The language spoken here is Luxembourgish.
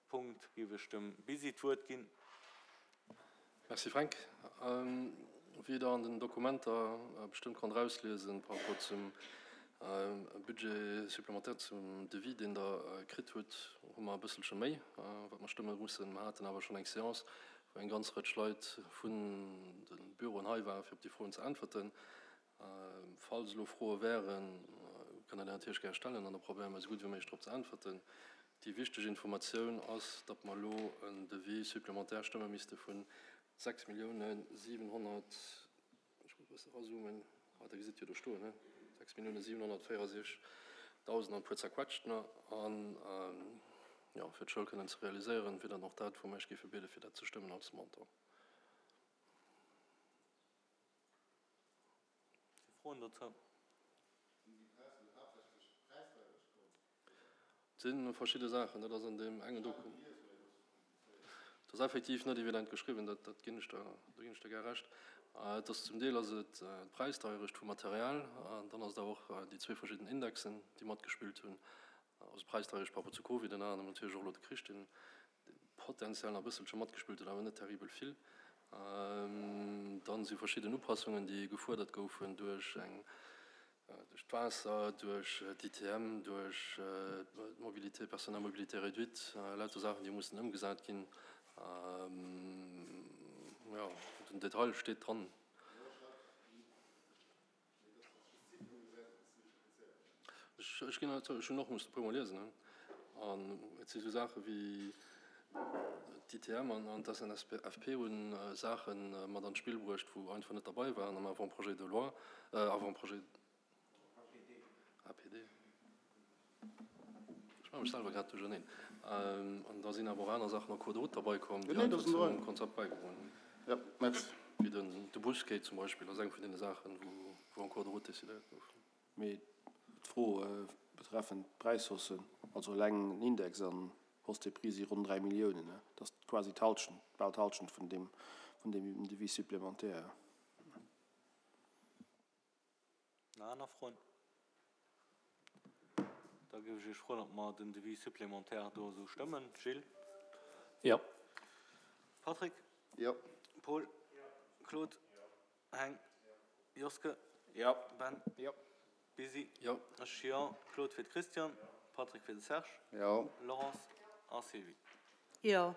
Punkt géif ech dem Bisi d'Wuert ginn. Merci Fränk. Wéi Der an den Dokumenter bestëmmt konnt erausliesen par rapport zum Budget supplémentaire, zum Devis, deen Der kritt hutt, hu mer e bësselche méi, wat mer stëmme mussen. Mer haten awer schonn eng Séance, wou eng ganz Rëtsch Leit vun de Büroen hei waren, fir op déi Froen ze äntwerten. Falls elo Froe wären, kënnt Der déi natierlech gär stellen an da probéiere mer esou gutt wéi méiglech drop ze äntwerten. Déi wichteg Informatioun ass, datt mer elo en Devis supplémentaire stëmme misste vu 6 Milliounen 700, ech muss e bësse erazoomen, ah Der gesitt jo do stoen, he, 6 Milliounen 764 Dausend an e puer zerquetscht, ne? An, jo, fir d'Schoul kënnen ze realiséieren, wier dann och dat, wou mer Iech géife biede fir dat ze stëmmen als Montant. Si Froen dozou? Et si verschidde Saachen, dat ass an deem engen Doku. Et ass effektiv net evident geschriwwen, dat dat ginn ech der, do ginn ech der gär Recht. Et ass zum Deel ass et d'Präisdeierecht vum Material, dann ass et awer och déi zwee verschidden Indexen, déi matgespillt hunn, also d'Präisdeierecht par rapport zu Covid, ënner anerem natierlech och elo de Krich, deen potenziell nach e bësselche matgespillt huet, awer net terribel vill. Dann si verschidden Upassungen, déi gefuerdert goufen duerch eng, duerch d'Waasser, duerch d'ITM, duerch d'Mobilité, Personnes à mobilité réduite, lauter Saachen, déi mussen ëmgesat ginn. Jo, den Detail steet dran. Ech ginn zou, ech hunn och mussen e puermol liesen. An et si sou Saache wéi d'ITM an d'SNSFP hu Saache mat an d'Spill bruecht, wou einfach net derbei waren am Avant-projet de loi, Avant-projet, APD. Ech maache mech selwer grad duercherneen. An da sinn awer och aner Saachen en cours de route derbei komm, déi einfach zum Konzept bäigedroen hunn. Wéi den de Busquai zum Beispill ass eng vun deene Saachen, wou en cours de route decidéiert gouf. Mee d'Fro betreffend d'Präishaussen, also eleng den Index an d'Hausse des prix si ronn 3 Milliounen, dat ass quasi d'Halschent, bal d'Halschent vun deem Devis supplémentaire. Nach aner Froen? Da géif ech Iech froen, ob mer den Devis supplémentaire do esou stëmmen. Gilles? Jo. Patrick? Jo. Paul? Jo. Claude? Jo. Heng? Jo. Joske? Jo. Ben? Jo. Busy? Jo. Ech jo. Claude fir de Christian, Patrick fir de Serge. Jo. Laurence a Sylvie. Jo.